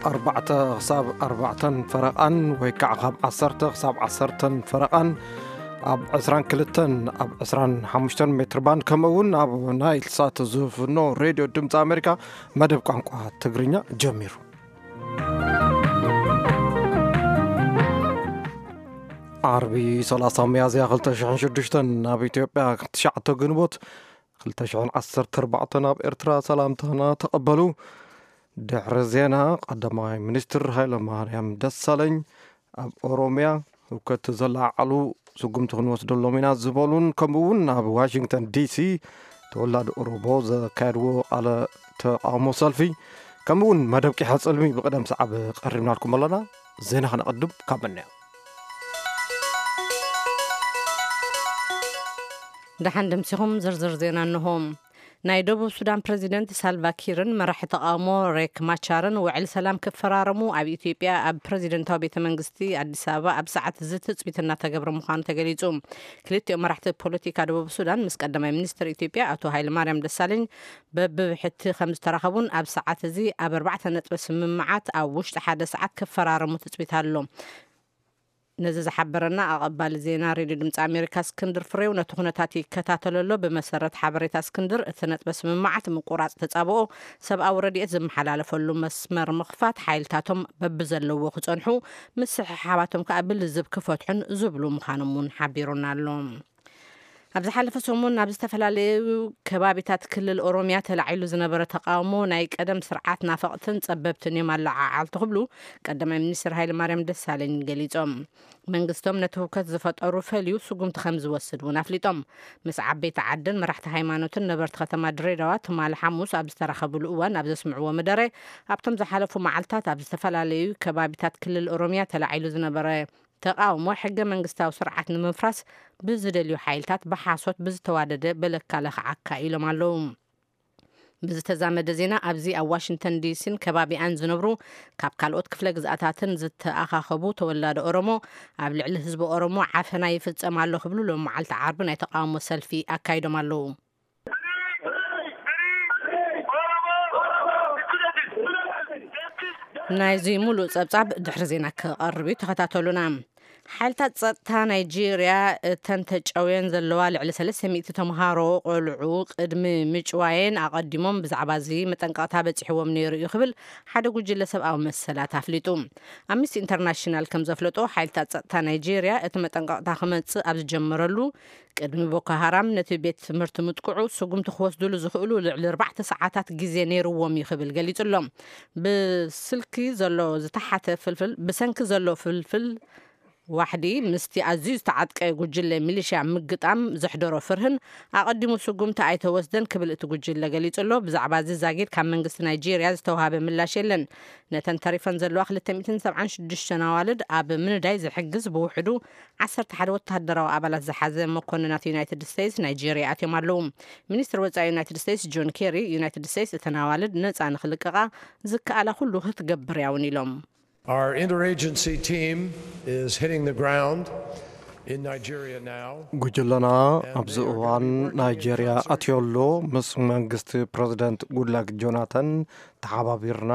ኣርባዕተ ክሳብ ኣርባዕተን ፈረቓን ወይ ከዓ ካብ ዓሰርተ ክሳብ ዓሰርተን ፈረቓን ኣብ ዕስራን ክልተን ኣብ ዕስራን ሓሙሽተን ሜትር ባንድ ከምኡ እውን ኣብ ናይል ሳት ዝፍኖ ሬድዮ ድምፂ ኣሜሪካ መደብ ቋንቋ ትግርኛ ጀሚሩ። ዓርቢ ሰላሳ ሚያዝያ ክልተ ሽሕን ሽዱሽተን ኣብ ኢትዮጵያ ትሽዓተ ግንቦት ክልተ ሽሕን ዓሰርተ ኣርባዕተን ኣብ ኤርትራ ሰላምታና ተቐበሉ። ድሕሪ ዜና ቀዳማይ ሚኒስትር ሃይለ ማርያም ደሳለኝ ኣብ ኦሮሚያ ህውከት ዘለዓዓሉ ስጉምቲ ክንወስደሎም ኢና ዝበሉን ከምኡ እውን ኣብ ዋሽንግተን ዲሲ ተወላዲ ኦሮሞ ዘካየድዎ ቃለ ተቃውሞ ሰልፊ ከምኡ እውን መደብ ቂሐ ጽልሚ ብቅደም ሰዓብ ቀሪብናልኩም ኣለና። ዜና ከነቐድም ካብ መን እያ? ደሓን ደምሲኹም ዝርዝር ዜና እንሆ። ናይ ደቡብ ሱዳን ፕረዚደንት ሳልቫ ኪርን መራሒ ተቃውሞ ሬክ ማቻርን ውዕል ሰላም ክፈራረሙ ኣብ ኢትዮጵያ ኣብ ፕረዚደንታዊ ቤተ መንግስቲ ኣዲስ ኣበባ ኣብ ሰዓት እዚ ትጽቢት እናተገብረ ምዃኑ ተገሊጹ። ክልቲኦም መራሕቲ ፖለቲካ ደቡብ ሱዳን ምስ ቀዳማይ ሚኒስትር ኢትዮጵያ ኣቶ ሃይለማርያም ደሳለኝ በብብሕቲ ከም ዝተራኸቡን ኣብ ሰዓት እዚ ኣብ ኣርባዕተ ነጥቢ ስምምዓት ኣብ ውሽጢ ሓደ ሰዓት ክፈራረሙ ትጽቢት ኣሎ። ነዚ ዝሓበረና ኣቐባሊ ዜና ሬድዮ ድምፂ ኣሜሪካ እስክንድር ፍሬው ነቲ ኩነታት ይከታተሎ ኣሎ። ብመሰረት ሓበሬታ እስክንድር፣ እቲ ነጥበ ስምምዓት ምቁራፅ ተፃብኦ ሰብኣዊ ረድኤት ዝመሓላለፈሉ መስመር ምኽፋት፣ ሓይልታቶም በብዘለዎ ክፀንሑ፣ ምስሕሓባቶም ከዓ ብልዝብ ክፈትሑን ዝብሉ ምዃኖም እውን ሓቢሩና ኣሎ። ኣብ ዝሓለፈ ሰሙን ኣብ ዝተፈላለዩ ከባቢታት ክልል ኦሮሚያ ተላዒሉ ዝነበረ ተቃውሞ ናይ ቀደም ስርዓት ናፈቕትን ጸበብትን እዮም ኣለዓዓልቲ ክብሉ ቀዳማይ ሚኒስትር ሃይለማርያም ደሳለኝ ገሊጾም። መንግስቶም ነቲ ህውከት ዝፈጠሩ ፈልዩ ስጉምቲ ከም ዝወስድ እውን ኣፍሊጦም። ምስ ዓበይቲ ዓድን መራሕቲ ሃይማኖትን ነበርቲ ከተማ ድሬዳዋ ትማሊ ሓሙስ ኣብ ዝተራኸብሉ እዋን ኣብ ዘስምዕዎ መደረ፣ ኣብቶም ዝሓለፉ መዓልታት ኣብ ዝተፈላለዩ ከባቢታት ክልል ኦሮሚያ ተላዒሉ ዝነበረ ተቃውሞ ሕገ መንግስታዊ ስርዓት ንምፍራስ ብዝደልዩ ሓይልታት ብሓሶት ብዝተዋደደ በለካ ለኽዓካ ኢሎም ኣለዉ። ብዝተዛመደ ዜና፣ ኣብዚ ኣብ ዋሽንግተን ዲሲን ከባቢኣን ዝነብሩ ካብ ካልኦት ክፍለ ግዝኣታትን ዝተኣኻኸቡ ተወላዶ ኦሮሞ ኣብ ልዕሊ ህዝቢ ኦሮሞ ዓፈና ይፍጸም ኣሎ ክብሉ ሎም መዓልቲ ዓርቢ ናይ ተቃውሞ ሰልፊ ኣካይዶም ኣለዉ። ናይዚ ሙሉእ ጸብጻብ ድሕሪ ዜና ክቐርብ እዩ፣ ተኸታተሉና። ሓይልታት ጸጥታ ናይጄርያ እተን ተጨውየን ዘለዋ ልዕሊ ሰለስተ ሚእቲ ተምሃሮ ቆልዑ ቅድሚ ምጭዋየን ኣቐዲሞም ብዛዕባ እዚ መጠንቀቕታ በጺሕዎም ነይሩ እዩ ክብል ሓደ ጉጅለ ሰብኣዊ መሰላት ኣፍሊጡ። ኣምነስቲ ኢንተርናሽናል ከም ዘፍለጦ፣ ሓይልታት ጸጥታ ናይጄርያ እቲ መጠንቀቕታ ክመጽእ ኣብ ዝጀመረሉ ቅድሚ ቦኮ ሃራም ነቲ ቤት ትምህርቲ ምጥቅዑ ስጉምቲ ክወስድሉ ዝኽእሉ ልዕሊ ኣርባዕተ ሰዓታት ግዜ ነይርዎም እዩ ክብል ገሊጹ ኣሎ። ብስልኪ ዘሎ ዝተሓተ ፍልፍል፣ ብሰንኪ ዘሎ ፍልፍል ዋሕዲ ምስቲ ኣዝዩ ዝተዓጥቀ ጉጅለ ሚሊሽያ ምግጣም ዘሕደሮ ፍርህን ኣቐዲሙ ስጉምቲ ኣይተወስደን ክብል እቲ ጉጅለ ገሊጹ ኣሎ። ብዛዕባ እዚ ዛጊድ ካብ መንግስቲ ናይጄርያ ዝተዋሃበ ምላሽ የለን። ነተን ተሪፈን ዘለዋ ክልተ ሚእትን ሰብዓን ሽዱሽተን ኣዋልድ ኣብ ምንዳይ ዝሕግዝ ብውሕዱ ዓሰርተ ሓደ ወታደራዊ ኣባላት ዝሓዘ መኮንናት ዩናይትድ ስቴትስ ናይጄርያ ኣትዮም ኣለዉ። ሚኒስትር ወጻኢ ዩናይትድ ስቴትስ ጆን ኬሪ፣ ዩናይትድ ስቴትስ እተን ኣዋልድ ነጻ ንኽልቀቓ ዝከኣላ ኩሉ ክትገብር እያ እውን ኢሎም። Our interagency team is hitting the ground in Nigeria now. ጉጅለና ኣብዚ እዋን ናይጄርያ ኣትዮ ኣሎ። ምስ መንግስቲ ፕረዚደንት ጉድላክ ጆናተን ተሓባቢርና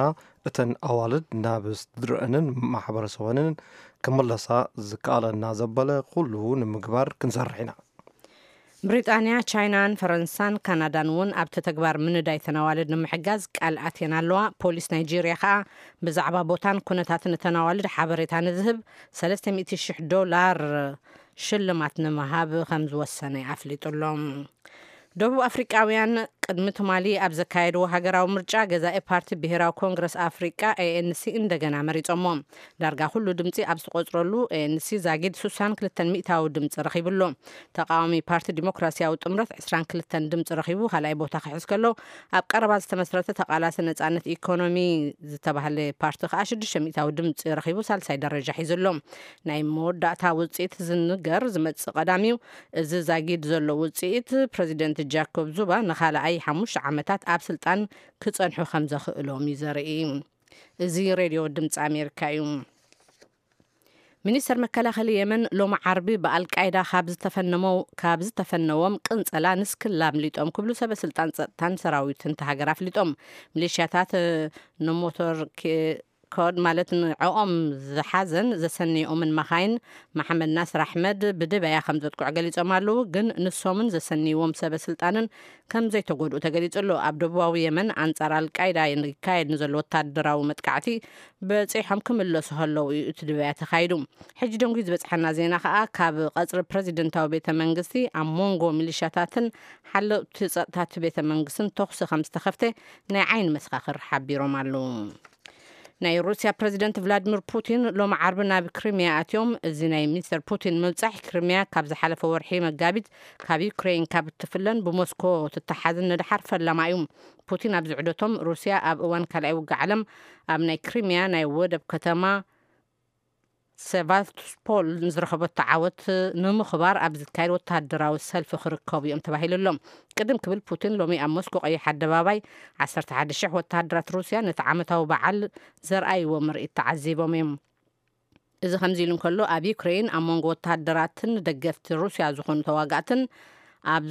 እተን ኣዋልድ ናብ ስድረአንን ማሕበረሰበንን ክምለሳ ዝከኣለና ዘበለ ኩሉ ንምግባር ክንሰርሕ ኢና። ብሪጣንያ፣ ቻይናን ፈረንሳን ካናዳን እውን ኣብቲ ተግባር ምንዳይ ተን ኣዋልድ ንምሕጋዝ ቃል ኣትየን ኣለዋ። ፖሊስ ናይጄርያ ከኣ ብዛዕባ ቦታን ኩነታትን እተን ኣዋልድ ሓበሬታ ንዝህብ ሰለስተ ሚእቲ ሽሕ ዶላር ሽልማት ንምሃብ ከም ዝወሰነ ኣፍሊጡ ኣሎ። ደቡብ ኣፍሪቃውያን ቅድሚ ትማሊ ኣብ ዘካየድዎ ሃገራዊ ምርጫ ገዛኢ ፓርቲ ብሄራዊ ኮንግረስ ኣፍሪቃ ኤ ኤን ሲ እንደገና መሪጾሞ። ዳርጋ ኩሉ ድምጺ ኣብ ዝተቖጽረሉ ኤ ኤን ሲ ዛጊድ ስሳን ክልተን ሚእታዊ ድምጺ ረኺቡ ኣሎ። ተቃዋሚ ፓርቲ ዲሞክራሲያዊ ጥምረት ዕስራን ክልተን ድምጺ ረኺቡ ካልኣይ ቦታ ክሕዝ ከሎ፣ ኣብ ቀረባ ዝተመስረተ ተቓላሲ ነጻነት ኢኮኖሚ ዝተባህለ ፓርቲ ከኣ ሽዱሽተ ሚእታዊ ድምጺ ረኺቡ ሳልሳይ ደረጃ ሒዙ ኣሎ። ናይ መወዳእታ ውጽኢት ዝንገር ዝመጽእ ቀዳም እዩ። እዚ ዛጊድ ዘሎ ውጽኢት ፕረዚደንት ጃኮብ ዙማ ንኻልኣይ ሓሙሽተ ዓመታት ኣብ ስልጣን ክጸንሑ ከም ዘኽእሎም እዩ ዘርኢ። እዚ ሬድዮ ድምፂ ኣሜሪካ እዩ። ሚኒስተር መከላኸሊ የመን ሎሚ ዓርቢ ብኣልቃይዳ ካብ ዝተፈነመው-፣ ካብ ዝተፈነዎም ቅንጸላ ንስክላ ኣምሊጦም ክብሉ ሰበ ስልጣን ጸጥታን ሰራዊትን እታ ሃገር ኣፍሊጦም። ሚሊሽያታት ንሞቶር ኬ-፣ ኮድ ማለት ንዕኦም ዝሓዘን ዘሰንይኦምን መኻይን መሓመድ ናስር ኣሕመድ ብድበያ ከም ዘጥቅዑ ገሊጾም ኣለዉ። ግን ንሶምን ዘሰንይዎም ሰበ ስልጣንን ከም ዘይተጎድኡ ተገሊጹ ኣሎ። ኣብ ደቡባዊ የመን ኣንጻር ኣልቃይዳ ይካየድ ንዘሎ ወታደራዊ መጥቃዕቲ በጺሖም ክምለሱ ከለዉ እዩ እቲ ድበያ ተኻይዱ። ሕጂ ደንጉዩ ዝበጽሓና ዜና ከኣ ካብ ቀጽሪ ፕረዚደንታዊ ቤተ መንግስቲ ኣብ መንጎ ሚሊሻታትን ሓለውቲ ጸጥታቲ ቤተ መንግስትን ተኹሲ ከም ዝተኸፍተ ናይ ዓይኒ መሰኻኽር ሓቢሮም ኣለዉ። ናይ ሩስያ ፕረዚደንት ቭላድሚር ፑቲን ሎም ዓርቢ ናብ ክሪሚያ ኣትዮም። እዚ ናይ ሚስተር ፑቲን ምብጻሕ ክሪሚያ ካብ ዝሓለፈ ወርሒ መጋቢት ካብ ዩክሬን ካብ እትፍለን ብሞስኮ ትተሓዝን ንድሓር ፈላማ እዩ። ፑቲን ኣብዚ ዑደቶም ሩስያ ኣብ እዋን ካልኣይ ውግእ ዓለም ኣብ ናይ ክሪሚያ ናይ ወደብ ከተማ ሴቫስቶፖል ንዝረኸበቶ ዓወት ንምኽባር ኣብ ዝካየድ ወተሃደራዊ ሰልፊ ክርከቡ እዮም ተባሂሉ ኣሎ። ቅድም ክብል ፑቲን ሎሚ ኣብ ሞስኮ ቀይሕ ኣደባባይ ዓሰርተ ሓደ ሽሕ ወተሃደራት ሩስያ ነቲ ዓመታዊ በዓል ዘርኣይዎ ምርኢት ተዓዚቦም እዮም። እዚ ከምዚ ኢሉ እንከሎ ኣብ ዩክሬን ኣብ መንጎ ወተሃደራትን ደገፍቲ ሩስያ ዝኾኑ ተዋጋእትን ኣብ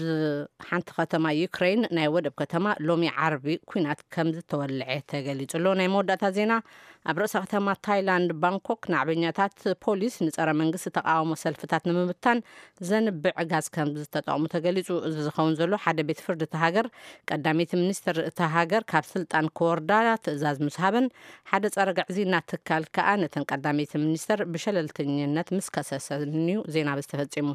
ሓንቲ ከተማ ዩክሬን ናይ ወደብ ከተማ ሎሚ ዓርቢ ኲናት ከም ዝተወልዐ ተገሊጹ ኣሎ። ናይ መወዳእታ ዜና። ኣብ ርእሰ ከተማ ታይላንድ ባንኮክ ናዕበኛታት ፖሊስ ንጸረ መንግስቲ ተቃውሞ ሰልፍታት ንምብታን ዘንብዕ ጋዝ ከም ዝተጠቕሙ ተገሊጹ። እዚ ዝኸውን ዘሎ ሓደ ቤት ፍርዲ እታ ሃገር ቀዳመይቲ ሚኒስትር እታ ሃገር ካብ ስልጣን ክወርዳ ትእዛዝ ምስ ሃበን ሓደ ጸረ ግዕዝይና ትካል ከኣ ነተን ቀዳመይቲ ሚኒስትር ብሸለልተኝነት ምስ ከሰሰን እዩ ዜና ዝተፈጺሙ።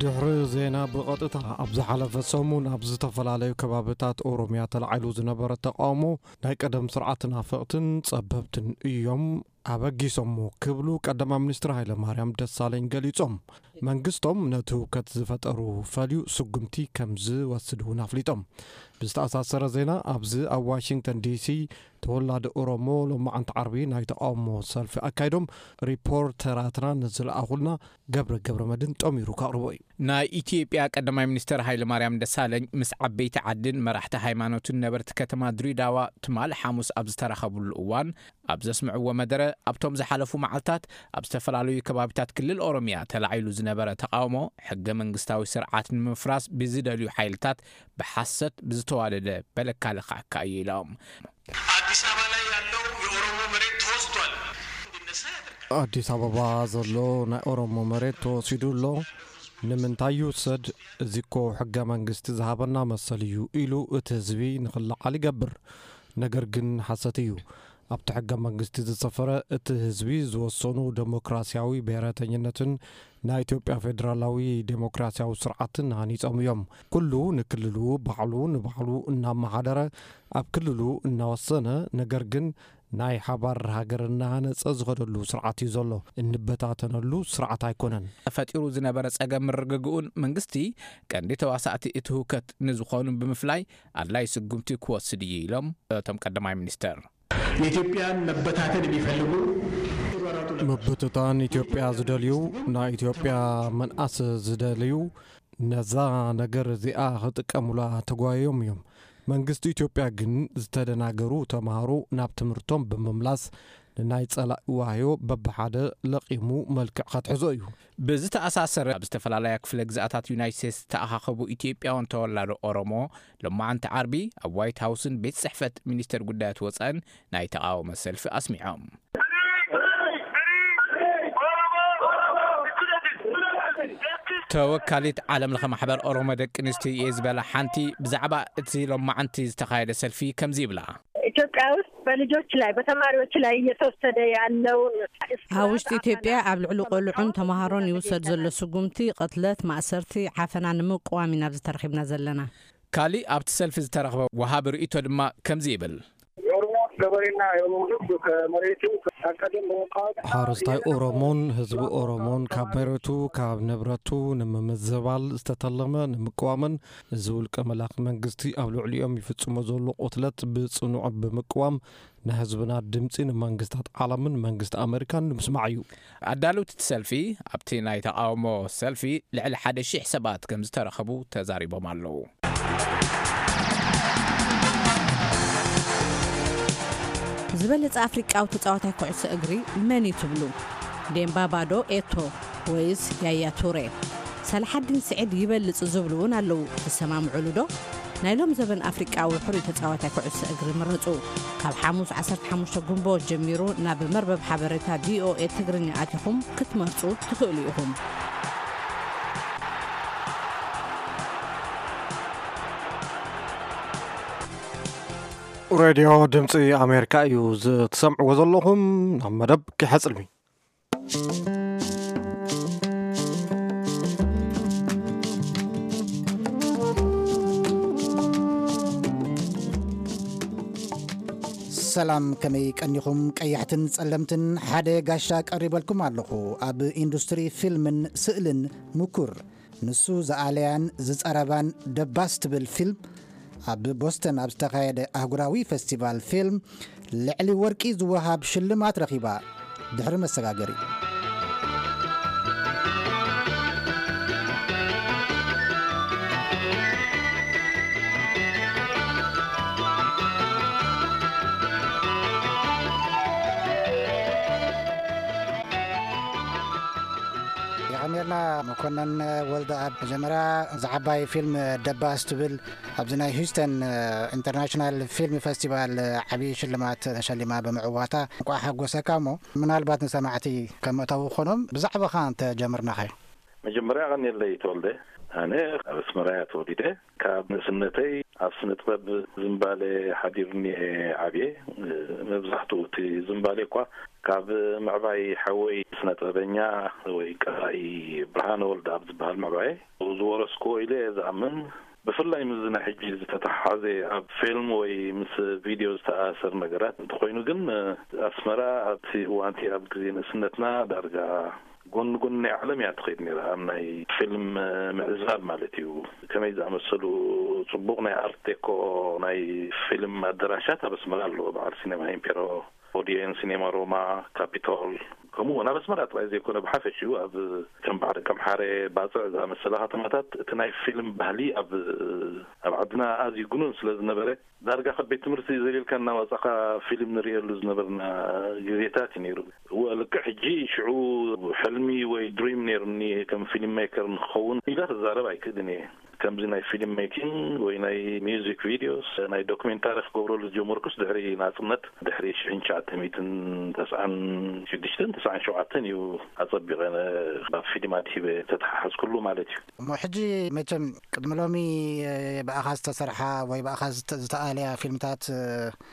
ድሕሪ ዜና ብቐጥታ፣ ኣብ ዝሓለፈ ሰሙን ኣብ ዝተፈላለዩ ከባብታት ኦሮምያ ተላዒሉ ዝነበረ ተቃውሞ ናይ ቀደም ስርዓት ናፈቕትን ጸበብትን እዮም ኣበጊሶሞ ክብሉ ቀዳማይ ሚኒስትር ሃይለማርያም ደሳለኝ ገሊጾም። መንግስቶም ነቲ ህውከት ዝፈጠሩ ፈልዩ ስጉምቲ ከም ዝወስድ እውን ኣፍሊጦም። ብዝተኣሳሰረ ዜና፣ ኣብዚ ኣብ ዋሽንግተን ዲሲ ተወላዲ ኦሮሞ ሎማዓንቲ ዓርቢ ናይ ተቃውሞ ሰልፊ ኣካይዶም። ሪፖርተራትና ንዝለኣኹልና ገብረ ገብረ መድን ጠሚሩ ከቕርቦ እዩ። ናይ ኢትዮጵያ ቀዳማይ ሚኒስትር ሃይለማርያም ደሳለኝ ምስ ዓበይቲ ዓድን መራሕቲ ሃይማኖትን ነበርቲ ከተማ ድሬዳዋ ትማል ሓሙስ ኣብ ዝተራኸብሉ እዋን ኣብ ዘስምዕዎ መደረ፣ ኣብቶም ዝሓለፉ መዓልታት ኣብ ዝተፈላለዩ ከባቢታት ክልል ኦሮምያ ተላዒሉ ዝነበረ ተቃውሞ ሕገ መንግስታዊ ስርዓት ንምፍራስ ብዝደልዩ ሓይልታት ብሓሰት ብዝተዋደደ በለካ ለካዕካ እዩ ኢሎም። አዲስ አበባ ላይ ያለው የኦሮሞ መሬት ተወስዷል እንዲነሳ ያደርጋል። ኣዲስ ኣበባ ዘሎ ናይ ኦሮሞ መሬት ተወሲዱ ኣሎ። ንምንታይ ይውሰድ? እዚ እኮ ሕገ መንግስቲ ዝሃበና መሰል እዩ ኢሉ እቲ ህዝቢ ንኽለዓል ይገብር። ነገር ግን ሓሰት እዩ። ኣብቲ ሕገ መንግስቲ ዝሰፈረ እቲ ህዝቢ ዝወሰኑ ደሞክራሲያዊ ብሔረተኝነትን ናይ ኢትዮጵያ ፌዴራላዊ ዴሞክራሲያዊ ስርዓትን ሃኒጾም እዮም። ኩሉ ንክልሉ ባዕሉ ንባዕሉ እናመሓደረ ኣብ ክልሉ እናወሰነ፣ ነገር ግን ናይ ሓባር ሃገር እናሃነጸ ዝኸደሉ ስርዓት እዩ ዘሎ። እንበታተነሉ ስርዓት ኣይኮነን። ተፈጢሩ ዝነበረ ጸገም ምርግግኡን መንግስቲ ቀንዲ ተዋሳእቲ እቲ ህውከት ንዝኾኑ ብምፍላይ ኣድላይ ስጉምቲ ክወስድ እዩ ኢሎም እቶም ቀዳማይ ሚኒስትር። የኢትዮጵያን መበታተን የሚፈልጉ ምብትታን ኢትዮጵያ ዝደልዩ፣ ናይ ኢትዮጵያ ምንኣስ ዝደልዩ፣ ነዛ ነገር እዚኣ ክጥቀሙላ ተጓዮም እዮም። መንግስቲ ኢትዮጵያ ግን ዝተደናገሩ ተምሃሮ ናብ ትምህርቶም ብምምላስ ንናይ ጸላኢ ዋህዮ በብሓደ ለቒሙ መልክዕ ከትሕዞ እዩ። ብዝተኣሳሰረ ኣብ ዝተፈላለያ ክፍለ ግዝኣታት ዩናይት ስቴትስ ዝተኣኻኸቡ ኢትዮጵያውያን ተወላዶ ኦሮሞ ሎማዓንቲ ዓርቢ ኣብ ዋይት ሃውስን ቤት ጽሕፈት ሚኒስተር ጉዳያት ወጻእን ናይ ተቓውሞ ሰልፊ ኣስሚዖም። ተወካሊት ዓለም ለኸ ማሕበር ኦሮሞ ደቂ ኣንስትዮ እየ ዝበላ ሓንቲ ብዛዕባ እቲ ሎማዓንቲ ዝተኻየደ ሰልፊ ከምዚ ይብላ። ኢትዮጵያ ውስጥ በልጆች ላይ በተማሪዎች ላይ እየተወሰደ ያለውን ኣብ ውሽጢ ኢትዮጵያ ኣብ ልዕሊ ቆልዑን ተምሃሮን ይውሰድ ዘሎ ስጉምቲ፣ ቅትለት፣ ማእሰርቲ፣ ዓፈና ንምቅዋም ኢና ኣብዚ ተረኺብና ዘለና። ካሊእ ኣብቲ ሰልፊ ዝተረኽበ ወሃቢ ርእይቶ ድማ ከምዚ ይብል። የኦሮሞ ገበሬና የኦሮሞ ህዝብ ከመሬቱ አቀደም በመቃወም ሓረስታይ ኦሮሞን ህዝቢ ኦሮሞን ካብ መሬቱ ካብ ንብረቱ ንምምዝባል ዝተተለመ ንምቅዋምን እዚ ውልቀ መላኺ መንግስቲ ኣብ ልዕሊኦም ይፍጽሞ ዘሎ ቁትለት ብጽኑዕ ብምቅዋም ንህዝብና ድምፂ ንመንግስታት ዓለምን መንግስቲ ኣሜሪካን ንምስማዕ እዩ። ኣዳለውቲ እቲ ሰልፊ ኣብቲ ናይ ተቓውሞ ሰልፊ ልዕሊ ሓደ ሺሕ ሰባት ከም ዝተረኸቡ ተዛሪቦም ኣለዉ። ዝበለጸ ኣፍሪቃዊ ተጻዋታይ ኩዕሶ እግሪ መን እዩ ትብሉ? ዴምባባ ዶ ኤቶ ወይስ ያያ ቱሬ? ሰላሓዲን ስዒድ ይበልጽ ዝብሉ እውን ኣለዉ። ትሰማምዑሉ ዶ? ናይ ሎም ዘበን ኣፍሪቃዊ ሕሩይ ተጻዋታይ ኩዕሶ እግሪ ምረጹ። ካብ ሓሙስ ዓሰርተ ሓሙሽተ ግንቦት ጀሚሩ ናብ መርበብ ሓበሬታ ቪኦኤ ትግርኛ ኣቲኹም ክትመርጹ ትኽእሉ ኢኹም። ሬድዮ ድምፂ ኣሜሪካ እዩ ዝትሰምዕዎ ዘለኹም። ናብ መደብ ክሕፅልሚ። ሰላም፣ ከመይ ቀኒኹም? ቀያሕትን ጸለምትን ሓደ ጋሻ ቀሪበልኩም ኣለኹ። ኣብ ኢንዱስትሪ ፊልምን ስእልን ምኩር፣ ንሱ ዝኣለያን ዝጸረባን ደባስ ትብል ፊልም፣ ኣብ ቦስተን ኣብ ዝተኻየደ ኣህጉራዊ ፈስቲቫል ፊልም ልዕሊ ወርቂ ዝወሃብ ሽልማት ረኺባ። ድሕሪ መሰጋገሪ። የቐንየልና መኮነን ወልደኣብ። መጀመርያ፣ እዛ ዓባይ ፊልም ደባስ ትብል ኣብዚ ናይ ሂውስተን ኢንተርናሽናል ፊልም ፈስቲቫል ዓብዪ ሽልማት ተሸሊማ ብምዕዋታ እንቋዕ ሓጎሰካ። እሞ ምናልባት ንሰማዕቲ ከም መእተዊ ክኾኖም ብዛዕባኻ እንተ ጀምርናኸ? መጀመርያ ቀኒለይ ተወልደ። ኣነ ኣብ ኣስመራ እያ ተወሊደ። ካብ ንእስነተይ ኣብ ስነ ጥበብ ዝምባሌ ሓዲሩኒ እየ ዓብየ። መብዛሕትኡ እቲ ዝምባሌ እኳ ካብ ምዕባይ ሓወይ ስነ ጥበበኛ ወይ ቀራኢ ብርሃነ ወልደ ኣብ ዝበሃል ምዕባየ ዝወረስክዎ ኢለ እየ ዝኣምን። ብፍላይ ምስዚ ናይ ሕጂ ዝተተሓሓዘ ኣብ ፊልም ወይ ምስ ቪድዮ ዝተኣሳሰር ነገራት እንተኾይኑ ግን ኣስመራ ኣብቲ እዋንቲ ኣብ ግዜ ንእስነትና ዳርጋ ጎኒ ጎኒ ናይ ዓለም እያ ትኸይድ ነይራ። ኣብ ናይ ፊልም ምዕዛብ ማለት እዩ። ከመይ ዝኣመሰሉ ጽቡቕ ናይ ኣርት ዴኮ ናይ ፊልም ኣደራሻት ኣብ ኣስመራ ኣለዎ። በዓል ሲኔማ ኢምፔሮ፣ ኦዲየን፣ ሲኔማ ሮማ፣ ካፒቶል፣ ከምኡ እውን ኣብ ኣስመራ ጥራይ ዘይኮነ ብሓፈሽኡ ኣብ ከም በዓል ከምሓረ፣ ባጽዕ ዝኣመሰላ ከተማታት እቲ ናይ ፊልም ባህሊ ኣብ ኣብ ዓድና ኣዝዩ ግኑን ስለ ዝነበረ ዳርጋ ካብ ቤት ትምህርቲ ዘሊልካ እናወጻኻ ፊልም ንርእየሉ ዝነበርና ግዜታት እዩ ነይሩ። እወ፣ ልክዕ ሕጂ ሽዑ ሕልሚ ወይ ድሪም ነይሩኒ ከም ፊልም ሜከር ንክኸውን ኢለ ክዛረብ ኣይክእልን እየ። ከምዚ ናይ ፊልም ሜኪንግ ወይ ናይ ሚውዚክ ቪድዮስ፣ ናይ ዶክሜንታሪ ክገብረሉ ዝጀመርኩስ ድሕሪ ናጽነት፣ ድሕሪ ሽሕን ትሽዓተ ሚእትን ተስዓን ሽዱሽተን ተስዓን ሸውዓተን እዩ ኣጸቢቐ ናብ ፊልም ኣድሂበ ተተሓሓዝኩሉ ማለት እዩ። እሞ ሕጂ መቸም ቅድሚ ሎሚ ብኣኻ ዝተሰርሓ ወይ ብኣኻ ዝተ- ዝተኣለያ ፊልምታት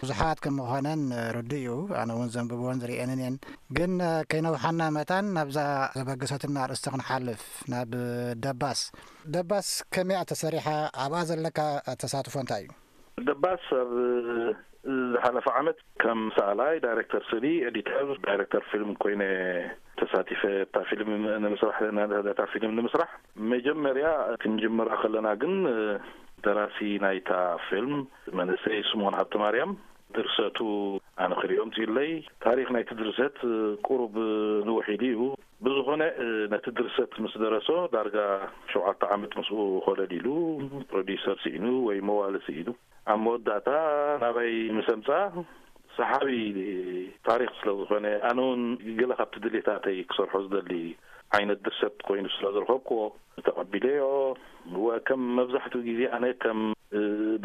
ብዙሓት ከም ምዃነን ርዱእ እዩ። ኣነ እውን ዘንብብወን ዝርእየንን እየን። ግን ከይነውሓና መታን ናብዛ ዘበገሰትና ኣርእስቲ ክንሓልፍ፣ ናብ ደባስ። ደባስ ከመይ እያ ተሰሪሓ? ኣብኣ ዘለካ ተሳትፎ እንታይ እዩ? ደባስ ኣብ ዝሓለፈ ዓመት ከም ሰኣላይ፣ ዳይሬክተር ስእሊ፣ ኤዲተር፣ ዳይሬክተር ፊልም ኮይነ ተሳቲፈ እታ ፊልም ንምስራሕ፣ ነታ ፊልም ንምስራሕ። መጀመርያ ክንጅምራ ከለና ግን ደራሲ ናይታ ፊልም መንእሰይ ስምኦን ሃብተማርያም፣ ድርሰቱ ኣነ ክሪኦ ኣምጺኡለይ። ታሪኽ ናይቲ ድርሰት ቁሩብ ንውሕ ኢሉ እዩ። ብዝኾነ ነቲ ድርሰት ምስ ደረሶ ዳርጋ ሸውዓተ ዓመት ምስኡ ኮለል ኢሉ ፕሮዲውሰር ስኢኑ ወይ መዋሊ ስኢኑ ኣብ መወዳእታ ናባይ ምስ ኣምጽኣ ሰሓቢ ታሪኽ ስለ ዝኾነ ኣነ እውን ገለ ካብቲ ድሌታተይ ክሰርሖ ዝደሊ ዓይነት ድርሰት ኮይኑ ስለ ዝረኸብክዎ ተቐቢለዮ። ወከም መብዛሕትኡ ግዜ ኣነ ከም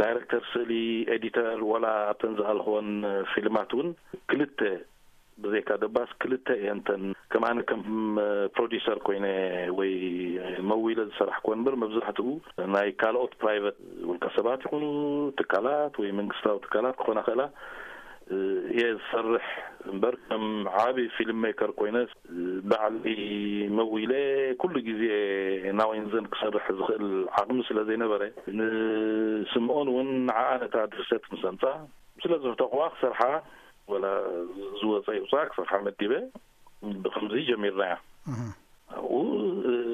ዳይረክተር ስእሊ፣ ኤዲተር፣ ዋላ ኣብተን ዝኣልኽወን ፊልማት እውን ክልተ ብዘይካ ደባስ ክልተ እየን እተን ከም ኣነ ከም ፕሮዲሰር ኮይነ ወይ መዊለ ዝሰራሕክወን እምበር መብዛሕትኡ ናይ ካልኦት ፕራይቨት ውልቀ ሰባት ይኹኑ ትካላት ወይ መንግስታዊ ትካላት ክኾና ክእላ እየ ዝሰርሕ እምበር ከም ዓቢ ፊልም ሜከር ኮይነ ባዕለይ መዊለ ኩሉ ግዜ ናወይንዘን ክሰርሕ ዝኽእል ዓቕሚ ስለ ዘይነበረ ንስምኦን እውን ንዓኣ ነታ ድርሰት ምስ ኣምጻ ስለ ዘፍተቕዋ ክሰርሓ ወላ ዝወፀ ይውፃእ ክሰርሓ መዲበ ብከምዚ ጀሚርናያ። ኣብኡ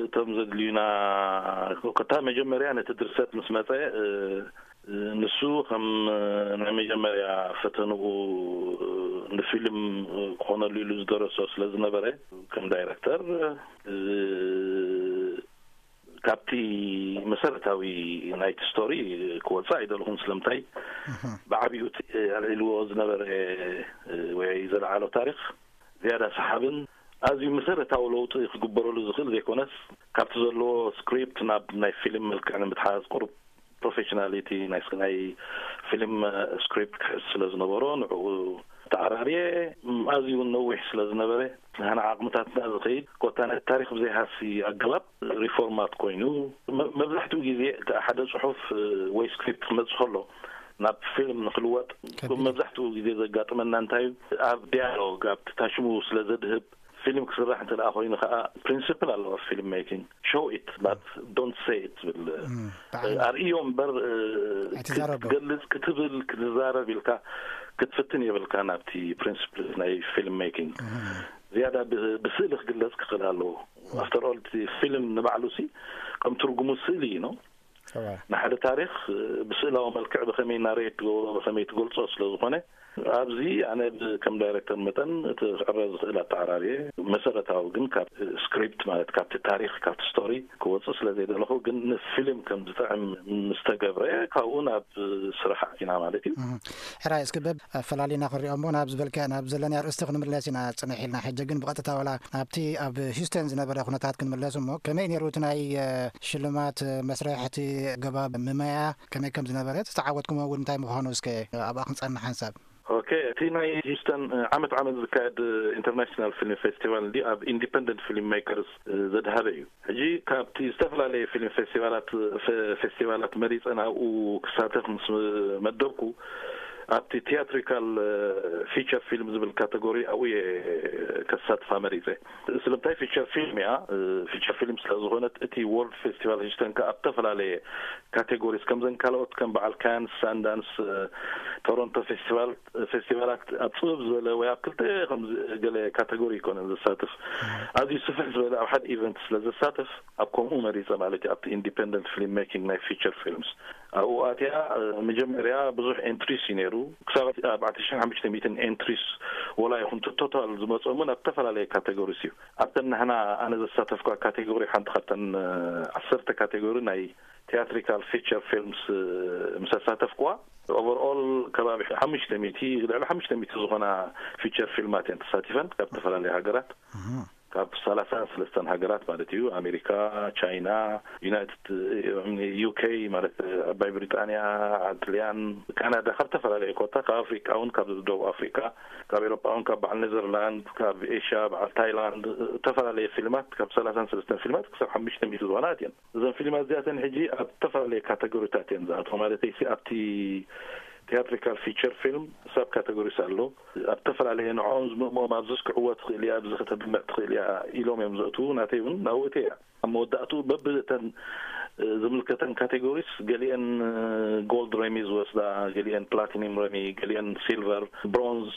እቶም ዘድልዩና ከታ መጀመርያ ነቲ ድርሰት ምስ መፀ ንሱ ከም ናይ መጀመርያ ፈተንኡ ንፊልም ክኾነሉ ኢሉ ዝደረሶ ስለ ዝነበረ ከም ዳይረክተር ካብቲ መሰረታዊ ናይቲ ስቶሪ ክወፅእ ኣይደለኹን። ስለምንታይ ብዓቢኡ እቲ ኣልዒልዎ ዝነበረ ወይ ዘለዓሎ ታሪክ ዝያዳ ሰሓብን ኣዝዩ መሰረታዊ ለውጢ ክግበረሉ ዝኽእል ዘይኮነስ ካብቲ ዘለዎ ስክሪፕት ናብ ናይ ፊልም መልክዕ ንምትሓዝ ቁሩብ ፕሮፌሽናሊቲ ናይ ናይ ፊልም ስክሪፕት ክሕዝ ስለ ዝነበሮ ንዕኡ ተዓራርየ። ኣዝዩ እውን ነዊሕ ስለ ዝነበረ ንሕና ዓቕምታትና ዝኸይድ ኮታ ናይ ታሪክ ብዘይሃሲ ኣገባብ ሪፎርማት ኮይኑ መብዛሕትኡ ግዜ ሓደ ፅሑፍ ወይ ስክሪፕት ክመፅእ ከሎ ናብ ፊልም ንክልወጥ መብዛሕትኡ ግዜ ዘጋጥመና እንታይ እዩ? ኣብ ዲያሎግ ኣብቲ ታሽሙ ስለ ዘድህብ ፊልም ክስራሕ እንተ ደኣ ኮይኑ ከዓ ፕሪንስፕል ኣለዎ ፊልም ሜኪንግ። ሾው ኢት ባት ዶንት ሴይ ኢት ዝብል ኣርእዮ እምበር ክትገልጽ ክትብል ክትዛረብ ኢልካ ክትፍትን የብልካ ናብቲ ፕሪንስፕል ናይ ፊልም ሜኪንግ። ዝያዳ ብስእሊ ክግለጽ ክኽእል ኣለዎ። ኣፍተር ኦል እቲ ፊልም ንባዕሉ ሲ ከም ትርጉሙ ስእሊ እዩ ነው። ንሓደ ታሪክ ብስእላዊ መልክዕ ብኸመይ ናሬት ትገብሮ ብኸመይ ትገልጾ ስለ ዝኾነ ኣብዚ ኣነ ከም ዳይሬክተር መጠን እቲ ክዕረ ዝኽእል ኣተዓራርየ መሰረታዊ ግን ካብ ስክሪፕት ማለት ካብቲ ታሪክ ካብቲ ስቶሪ ክወፅእ ስለ ዘይደለኹ ግን ንፊልም ከም ዝጥዕም ምስ ተገብረ ካብኡ ናብ ስራሕ ኣቲና ማለት እዩ። ሕራይ እስክበብ ኣፈላሊና ክንሪኦ እሞ ናብ ዝበልካ ናብ ዘለኒ ኣርእስቲ ክንምለስ ኢና ፅንሕ ኢልና ሕጂ ግን ብቐጥታ ወላ ናብቲ ኣብ ሂውስተን ዝነበረ ኩነታት ክንምለስ እሞ ከመይ ነይሩ እቲ ናይ ሽልማት መስርሕ እቲ ገባብ ምመያ ከመይ ከም ዝነበረ ዝተዓወትኩሞ እውን እንታይ ምዃኑ እስከ ኣብኣ ክንፀንሕ ሓንሳብ። ኦኬ እቲ ናይ ሂውስተን ዓመት ዓመት ዝካየድ ኢንተርናሽናል ፊልም ፌስቲቫል እንዲ ኣብ ኢንዲፐንደንት ፊልም ሜከርስ ዘድሃበ እዩ። ሕጂ ካብቲ ዝተፈላለየ ፊልም ፌስቲቫላት ፌስቲቫላት መሪፀ ናብኡ ክሳተፍ ምስ መደብኩ ኣብቲ ቲያትሪካል ፊቸር ፊልም ዝብል ካተጎሪ ኣብኡ እየ ከሳትፋ መሪፀ። ስለምንታይ ፊቸር ፊልም እያ። ፊቸር ፊልም ስለ ዝኾነት እቲ ወርልድ ፌስቲቫል ሂውስተን ከ ኣብ ዝተፈላለየ ካቴጎሪስ ከምዘን ካልኦት ከም በዓል ካንስ ሳንዳንስ ቶሮንቶ ፌስቲቫል ፌስቲቫላት ኣብ ፅብብ ዝበለ ወይ ኣብ ክልተ ከም ገለ ካተጎሪ ይኮነን ዘሳትፍ ኣዝዩ ስፍሕ ዝበለ ኣብ ሓደ ኢቨንት ስለ ዘሳትፍ ኣብ ከምኡ መሪፀ ማለት እዩ ኣብቲ ኢንዲፐንደንት ፊልም ሜኪንግ ናይ ፊቸር ፊልምስ ኣብኡ ኣትያ መጀመርያ ብዙሕ ኤንትሪስ እዩ ነይሩ ክሳብ ኣርባዕተ ሽሕን ሓሙሽተ ሚእትን ኤንትሪስ ወላ ይኹን ቶታል ዝመፀሙን ኣብ ዝተፈላለየ ካቴጎሪስ እዩ ኣብተን ንሕና ኣነ ዘሳተፍኳ ካቴጎሪ ሓንቲ ካብተን ዓሰርተ ካቴጎሪ ናይ ቲያትሪካል ፊቸር ፊልምስ ምስ ኣሳተፍኩዋ ኦቨርኦል ከባቢ ሓሙሽተ ሚእቲ ልዕሊ ሓሙሽተ ሚእቲ ዝኾና ፊቸር ፊልማት እየን ተሳቲፈን ካብ ዝተፈላለዩ ሃገራት ካብ ሰላሳ ሰለስተን ሃገራት ማለት እዩ ኣሜሪካ ቻይና ዩናይትድ ዩኬ ማለት ዓባይ ብሪጣንያ ጥልያን ካናዳ ካብ ዝተፈላለዩ ኮታ ካብ ኣፍሪቃ እውን ካብ ደቡብ ኣፍሪቃ ካብ ኤሮጳ እውን ካብ በዓል ኔዘርላንድ ካብ ኤሽያ በዓል ታይላንድ ዝተፈላለዩ ፊልማት ካብ ሰላሳን ሰለስተን ፊልማት ክሳብ ሓሙሽተ ሚእቲ ዝኾና እየን እዘን ፊልማት እዚኣተን ሕጂ ኣብ ዝተፈላለየ ካተጎሪታት እየን ዝኣትዋ ማለተይ ሲ ኣብቲ ቲያትሪካል ፊቸር ፊልም ሳብ ካተጎሪስ ኣሎ ኣብ ዝተፈላለየ ንዕኦም ዝምእምኦም ኣብዚ ክዕወት ትኽእል እያ ኣብዚ ከተድምዕ ትኽእል እያ ኢሎም እዮም ዘእትዉ ናተይ እውን ናብኡ እየ ኣብ መወዳእትኡ በብእተን ዝምልከተን ካቴጎሪስ ገሊአን ጎልድ ረሚ ዝወስዳ ገሊአን ፕላቲኒም ረሚ ገሊአን ሲልቨር ብሮንዝ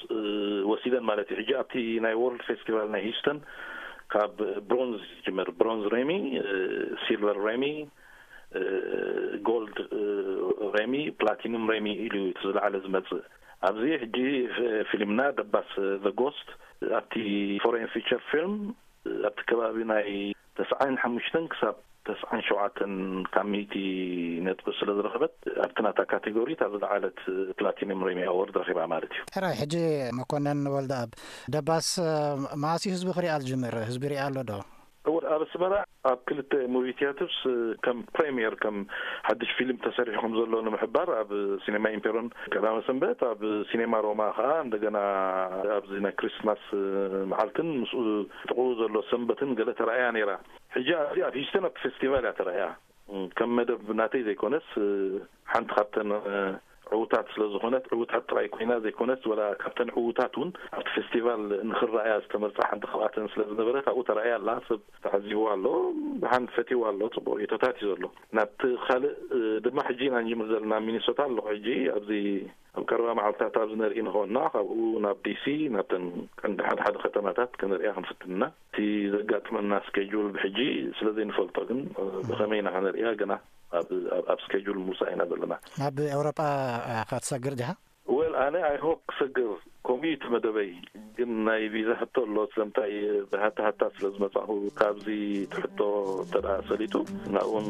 ወሲደን ማለት እዩ ሕጂ ኣብቲ ናይ ወርልድ ፌስቲቫል ናይ ሂውስተን ካብ ብሮንዝ ይጅምር ብሮንዝ ሬሚ ሲልቨር ሬሚ ጎልድ ሬሚ ፕላቲኒም ሬሚ ኢሉ እቲ ዝለዓለ ዝመፅእ ኣብዚ ሕጂ ፊልምና ደባስ ዘጎስት ኣብቲ ፎሬን ፊቸር ፊልም ኣብቲ ከባቢ ናይ ተስዓን ሓሙሽተን ክሳብ ተስዓን ሸውዓተን ካብ ሚእቲ ነጥቢ ስለ ዝረኸበት ኣብቲ ናታ ካቴጎሪ እታ ዝለዓለት ፕላቲኒም ሬሚ ኣወርድ ረኺባ ማለት እዩ። ሕራይ ሕጂ መኮነን ወልደኣብ ደባስ መኣስ እዩ ህዝቢ ክሪኣ ዝጅምር? ህዝቢ ሪኣ ኣሎ ዶ? እወ ኣብ ኣስመራ ኣብ ክልተ ሙቪ ቲያትርስ ከም ፕሬምየር ከም ሓድሽ ፊልም ተሰሪሑ ከም ዘሎ ንምሕባር ኣብ ሲኔማ ኢምፔሮን ቀዳመ ሰንበት ኣብ ሲኔማ ሮማ ከዓ እንደገና ኣብዚ ናይ ክሪስማስ መዓልትን ምስኡ ጥቕኡ ዘሎ ሰንበትን ገለ ተራእያ ነይራ። ሕጂ ኣብዚ ኣብ ሂውስተን ኣብቲ ፌስቲቫል እያ ተራእያ። ከም መደብ ናተይ ዘይኮነስ ሓንቲ ካብተን ዕዉታት ስለ ዝኾነት ዕዉታት ጥራይ ኮይና ዘይኮነስ ወላ ካብተን ዕዉታት እውን ኣብቲ ፌስቲቫል ንኽረኣያ ዝተመርፃ ሓንቲ ካብኣተን ስለ ዝነበረት ኣብኡ ተራእያ ኣላ። ሰብ ተዓዚብዋ ኣሎ፣ ብሓን ፈትይዋ ኣሎ፣ ፅቡቕ ርእቶታት እዩ ዘሎ። ናብቲ ካልእ ድማ ሕጂ ኢና ንጅምር ዘለና ሚኒሶታ ኣለኹ ሕጂ ኣብዚ ኣብ ቀረባ መዓልትታት ኣብዚ ነርኢ ንኸንና ካብኡ ናብ ዲሲ ናብተን ቀንዲ ሓደ ሓደ ከተማታት ከነርእያ ክንፍትን ኢና። እቲ ዘጋጥመና ስኬጁል ብሕጂ ስለ ዘይንፈልጦ ግን ብኸመይ ኢና ከነርእያ ገና ኣብ ስኬጁል ምውሳእ ኢና ዘለና። ናብ ኤውሮጳ ኢኻ ትሰግር ዲኻ? ወል ኣነ ኣይ ሆፕ ክሰግር ከምኡ እዩ እቲ መደበይ። ግን ናይ ቪዛ ሕቶ ኣሎ ስለምንታይ ብሃታ ሃታ ስለ ዝመጻኹ ካብዚ እቲ ሕቶ እንተ ደኣ ሰሊጡ ናብኡን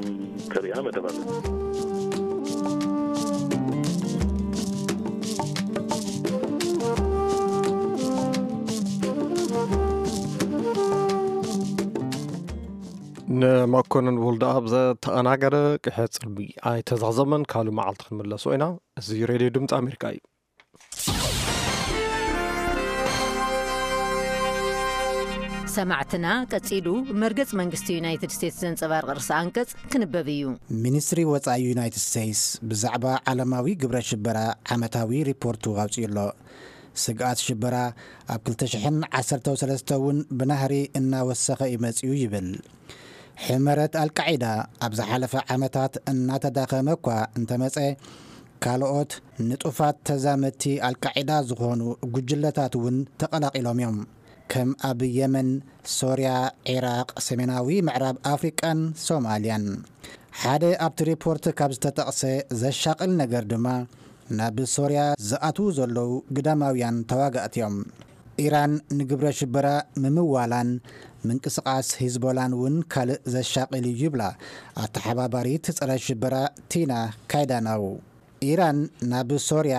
ከርእያ መደብ ኣለኒ። ንመኮንን ወልደኣብ ዘተኣናገደ ቅሐ ጽልቢ ኣይተዛዘመን። ካልእ መዓልቲ ክንምለሶ ኢና። እዚ ሬድዮ ድምፂ ኣሜሪካ እዩ። ሰማዕትና፣ ቀጺሉ መርገጽ መንግስቲ ዩናይትድ ስቴትስ ዘንጸባርቕ ርእሰ ኣንቀጽ ክንበብ እዩ። ሚኒስትሪ ወጻኢ ዩናይትድ ስቴትስ ብዛዕባ ዓለማዊ ግብረ ሽበራ ዓመታዊ ሪፖርቱ ኣውጺኡ ኣሎ። ስግኣት ሽበራ ኣብ ክልተ ሽሕን ዓሰርተው ሰለስተ እውን ብናህሪ እናወሰኸ እዩ መጺኡ ይብል። ሕመረት ኣልቃዒዳ ኣብ ዝሓለፈ ዓመታት እናተዳኸመ እኳ እንተመጸ፣ ካልኦት ንጡፋት ተዛመድቲ ኣልቃዒዳ ዝኾኑ ጉጅለታት እውን ተቐላቒሎም እዮም። ከም ኣብ የመን፣ ሶርያ፣ ዒራቕ፣ ሰሜናዊ ምዕራብ ኣፍሪቃን ሶማልያን። ሓደ ኣብቲ ሪፖርት ካብ ዝተጠቕሰ ዘሻቕል ነገር ድማ፣ ናብ ሶርያ ዝኣትዉ ዘለዉ ግዳማውያን ተዋጋእቲ እዮም። ኢራን ንግብረ ሽበራ ምምዋላን ምንቅስቓስ ሂዝቦላን እውን ካልእ ዘሻቕል እዩ ይብላ ኣተሓባባሪት ጸረ ሽበራ ቲና ካይዳናው። ኢራን ናብ ሶርያ፣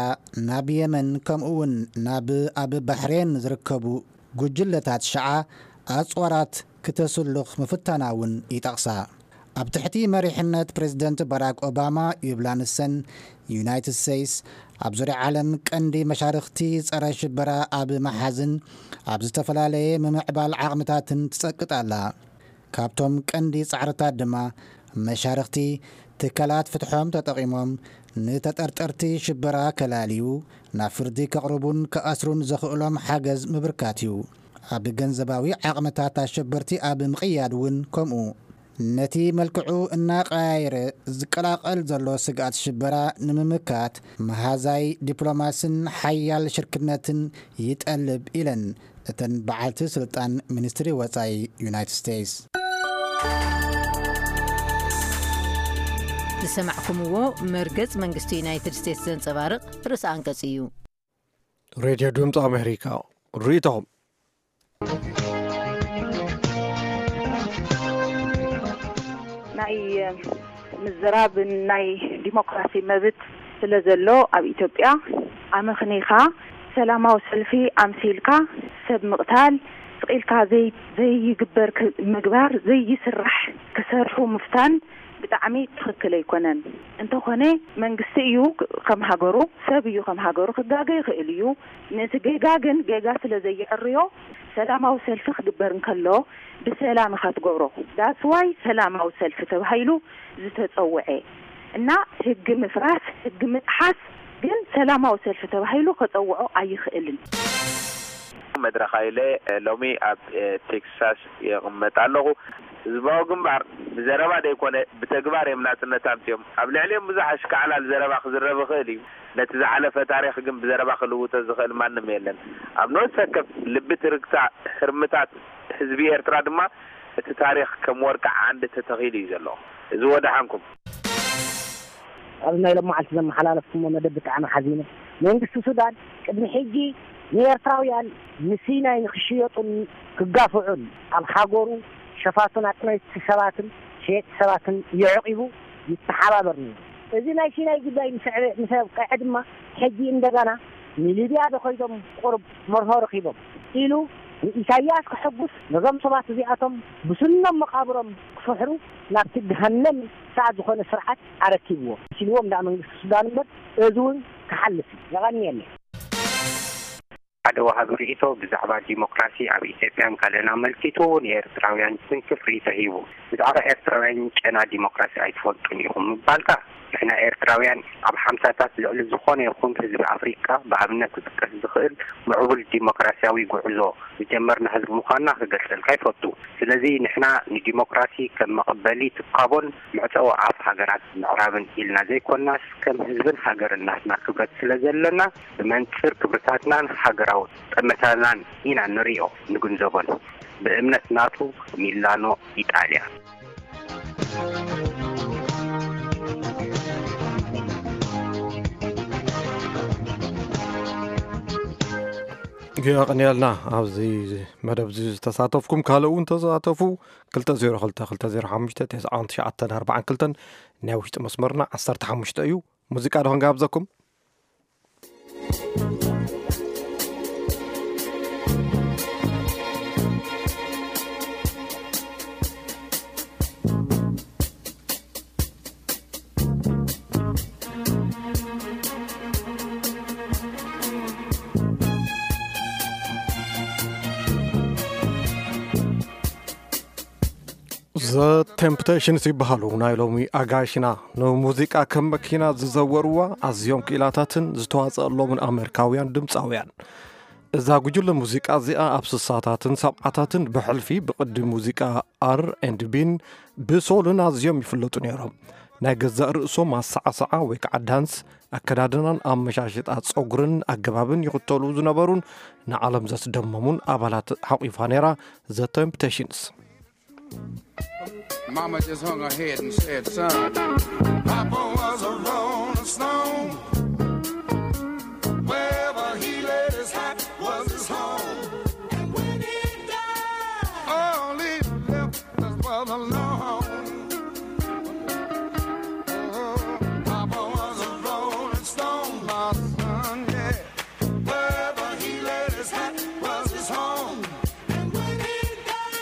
ናብ የመን፣ ከምኡ እውን ናብ ኣብ ባሕሬን ዝርከቡ ጉጅለታት ሸዓ ኣጽዋራት ክተስልኽ ምፍታና እውን ይጠቕሳ። ኣብ ትሕቲ መሪሕነት ፕሬዝደንት ባራክ ኦባማ ይብላ ንሰን፣ ዩናይትድ ስቴትስ ኣብ ዙርያ ዓለም ቀንዲ መሻርኽቲ ጸረ ሽበራ ኣብ ምሓዝን ኣብ ዝተፈላለየ ምምዕባል ዓቕምታትን ትጸቅጥ ኣላ። ካብቶም ቀንዲ ጻዕርታት ድማ መሻርኽቲ ትካላት ፍትሖም ተጠቒሞም ንተጠርጠርቲ ሽበራ ከላልዩ፣ ናብ ፍርዲ ከቕርቡን ክኣስሩን ዘኽእሎም ሓገዝ ምብርካት እዩ። ኣብ ገንዘባዊ ዓቕምታት ኣሸበርቲ ኣብ ምቕያድ እውን ከምኡ። ነቲ መልክዑ እናቐያየረ ዝቀላቐል ዘሎ ስግኣት ሽበራ ንምምካት መሃዛይ ዲፕሎማስን ሓያል ሽርክነትን ይጠልብ ኢለን እተን በዓልቲ ስልጣን ሚኒስትሪ ወጻኢ ዩናይትድ ስቴትስ። ዝሰማዕኩምዎ መርገጽ መንግስቲ ዩናይትድ ስቴትስ ዘንጸባርቕ ርእሰ ኣንቀጽ እዩ። ሬድዮ ድምፂ ኣሜሪካ ርእይቶኹም። ናይ ምዝራብን ናይ ዲሞክራሲ መብት ስለ ዘሎ ኣብ ኢትዮጵያ ኣመኽኒኻ ሰላማዊ ሰልፊ ኣምሲልካ ሰብ ምቕታል ስቕ ኢልካ ዘይ ዘይግበር ክ- ምግባር ዘይስራሕ ክሰርሑ ምፍታን ብጣዕሚ ትኽክል ኣይኮነን። እንተኾነ መንግስቲ እዩ ከም ሃገሩ ሰብ እዩ ከም ሃገሩ ክጋገ ይኽእል እዩ። ነቲ ጌጋ ግን ጌጋ ስለ ዘይዕርዮ ሰላማዊ ሰልፊ ክግበር እንከሎ ብሰላም ኢኻ ትገብሮ። That's why ሰላማዊ ሰልፊ ተባሂሉ ዝተጸውዐ እና ህጊ ምፍራስ ህጊ ምጥሓስ ግን ሰላማዊ ሰልፊ ተባሂሉ ከጸውዖ ኣይኽእልን። መድረኽ ኢለ ሎሚ ኣብ ቴክሳስ ይቕመጥ ኣለኹ። ህዝባዊ ግንባር ብዘረባ ዘይኮነ ብተግባር እዮም ናጽነት ኣምጺኦም። ኣብ ልዕሊኦም ብዙሕ ኣሽካዕላል ዘረባ ክዝረብ ይኽእል እዩ። ነቲ ዝሓለፈ ታሪኽ ግን ብዘረባ ክልውጦ ዝኽእል ማንም የለን። ኣብ ነፍሲ ወከፍ ልቢ ትርግታ ህርምታት ህዝቢ ኤርትራ ድማ እቲ ታሪኽ ከም ወርቂ ዓንዲ ተተኺሉ እዩ ዘሎ። እዚ ወደሓንኩም። ኣብዚ ናይ ሎማዓልቲ ዘመሓላለፍኩሞ መደብ ብጣዕሚ ሓዚነ። መንግስቲ ሱዳን ቅድሚ ሕጂ ንኤርትራውያን ንሲናይ ንክሽየጡን ክጋፍዑን ኣብ ሃገሩ ሸፋቱን ኣጥነይቲ ሰባትን ሸየጥቲ ሰባትን የዕቂቡ ይተሓባበር ነይሩ። እዚ ናይ ሲናይ ጉዳይ ምስ ኣዕበ- ምስ ኣብቀዐ ድማ ሕጂ እንደገና ንሊብያ ዶ ከይዶም ቁሩብ መርሆ ረኺቦም ኢሉ ንኢሳያስ ከሐጉስ ነዞም ሰባት እዚኣቶም ብስኖም መቓብሮም ክፍሕሩ ናብቲ ገሃነም ሰዓት ዝኾነ ስርዓት ኣረኪብዎ ኢልዎም ደኣ መንግስቲ ሱዳን እምበር እዚ እውን ክሓልፍ እዩ። የቐንየለይ። ሓደ ወሃቢ ርእይቶ ብዛዕባ ዲሞክራሲ ኣብ ኢትዮጵያን ካልእን ኣመልኪቱ ንኤርትራውያን ስንክፍ ርእይቶ ሂቡ። ብዛዕባ ኤርትራውያን ጨና ዲሞክራሲ ኣይትፈልጡን ኢኹም ምባልካ፣ ንሕና ኤርትራውያን ኣብ ሓምሳታት ልዕሊ ዝኾነ ይኹን ህዝቢ ኣፍሪቃ ብኣብነት ክጥቀስ ዝኽእል ምዕቡል ዲሞክራሲያዊ ጉዕዞ ዝጀመርና ህዝቢ ምዃንና ክገልጸልካ ይፈቱ። ስለዚ ንሕና ንዲሞክራሲ ከም መቐበሊ ትካቦን መዕጸዊ ኣፍ ሃገራት ምዕራብን ኢልና ዘይኮናስ ከም ህዝብን ሃገርን ናትና ክብረት ስለ ዘለና ብመንጽር ክብርታትናን ሃገራዊ ጠመታናን ኢና ንሪኦ ንግንዘቦን። ብእምነት ናቱ ሚላኖ ኢጣልያ። የቐንየልና ኣብዚ መደብ እዚ ዝተሳተፍኩም ካልእ እውን ተሳተፉ። ክልተ ዜሮ ክልተ ክልተ ዜሮ ሓሙሽተ ተስዓን ትሽዓተን ኣርባዓን ክልተን ናይ ውሽጢ መስመርና ዓሰርተ ሓሙሽተ እዩ። ሙዚቃ ዶ ክንጋብዘኩም? ዘ ቴምፕቴሽንስ ይበሃሉ። ናይ ሎሚ ኣጋይሽና ንሙዚቃ ከም መኪና ዝዘወርዋ ኣዝዮም ክኢላታትን ዝተዋጸኣሎምን ኣሜሪካውያን ድምጻውያን። እዛ ጉጅለ ሙዚቃ እዚኣ ኣብ ስሳታትን ሰብዓታትን ብሕልፊ ብቕዲ ሙዚቃ ኣር ኤንድ ቢን ብሶልን ኣዝዮም ይፍለጡ ነይሮም። ናይ ገዛእ ርእሶም ኣሰዓስዓ ወይ ከዓ ዳንስ፣ ኣከዳድናን ኣመሻሽጣ ጸጉርን ኣገባብን ይኽተሉ ዝነበሩን ንዓለም ዘስደመሙን ኣባላት ሓቂፋ ነይራ ዘ ቴምፕቴሽንስ። Mama just hung her head and said, "Son, Papa was a rolling stone. Wherever he laid his hat was his home. And when he died, all he left us was alone." Oh, Papa was a rolling stone, my son, yeah. Wherever he laid his hat was his home. And when he died,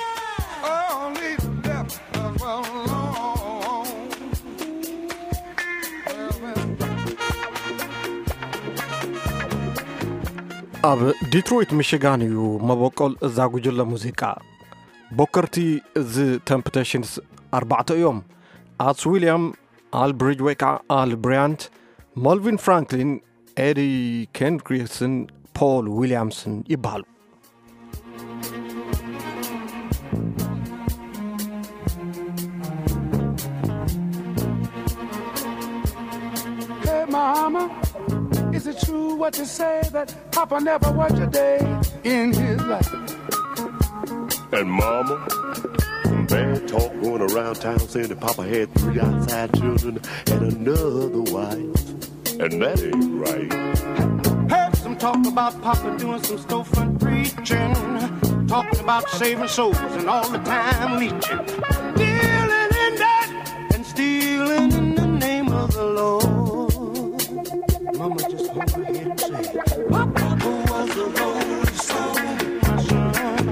all he left us was alone. ኣብ ዲትሮይት ሚሽጋን እዩ መበቆል እዛ ጉጅለ ሙዚቃ። ቦከርቲ እዚ ቴምፕቴሽንስ ኣርባዕተ እዮም። ኣስ ዊልያም፣ ኣል ብሪጅ ወይ ከዓ ኣል ብሪያንት፣ ሞልቪን ፍራንክሊን፣ ኤዲ ኬንድሪክስን ፖል ዊልያምስን ይበሃሉ። Hey, mama, is it true what you say that Papa never worked a day in his life? And mama, some bad talk going around town saying that Papa had three outside children and another wife. And that ain't right. Heard some talk about Papa doing some storefront preaching, talking about saving souls and all the time leeching, dealing in that and stealing in the name of the Lord. Mama just hung her head and said, "Papa was a rolling stone, my son.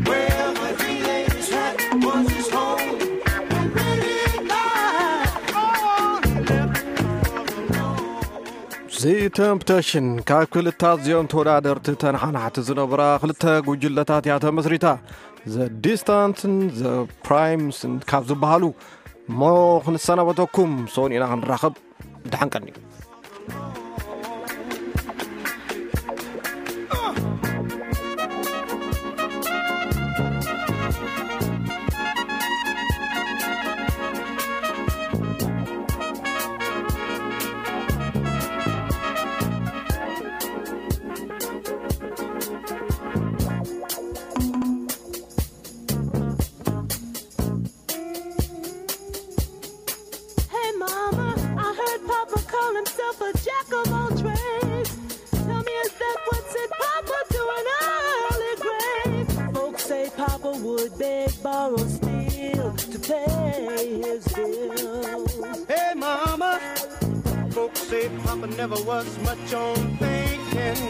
Wherever he laid his hat was his home. And when he died, all he left was alone." ዚ ቴምፕቴሽን ካብ ክልተ ኣዝዮም ተወዳደርቲ ተነሓናሕቲ ዝነበራ ክልተ ጉጅለታት እያ ተመስሪታ። ዘ ዲስታንትን ዘ ፕራይምስን ካብ ዝበሃሉ። እሞ ክንሰናበተኩም፣ ሰሙን ኢና ክንራኸብ። ደሓን ቀኒ። Hey, Mama, I heard Papa call himself a jack of all trades. Tell me, is that what's in Papa doing early grave? Folks say Papa would beg, borrow, steal to pay his bills. Hey, Mama, folks say Papa never was much on thinking.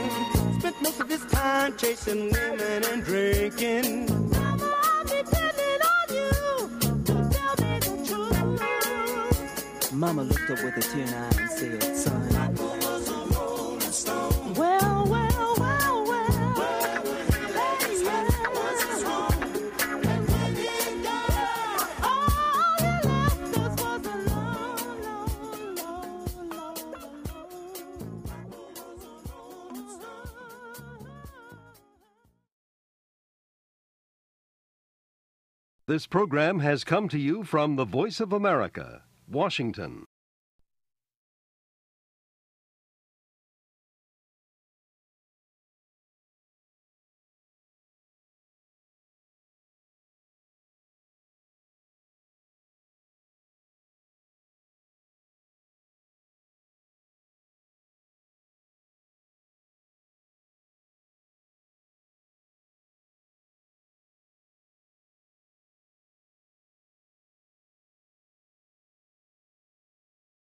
Spent most of his time chasing women and drinking. Mama, I'm depending on you to tell me the truth. Mama looked up with a tear in her eye and said, "Son, well, well, well, well, hey, yeah. And when he died, all he left us was alone, alone, alone, alone." This program has come to you from the Voice of America, Washington.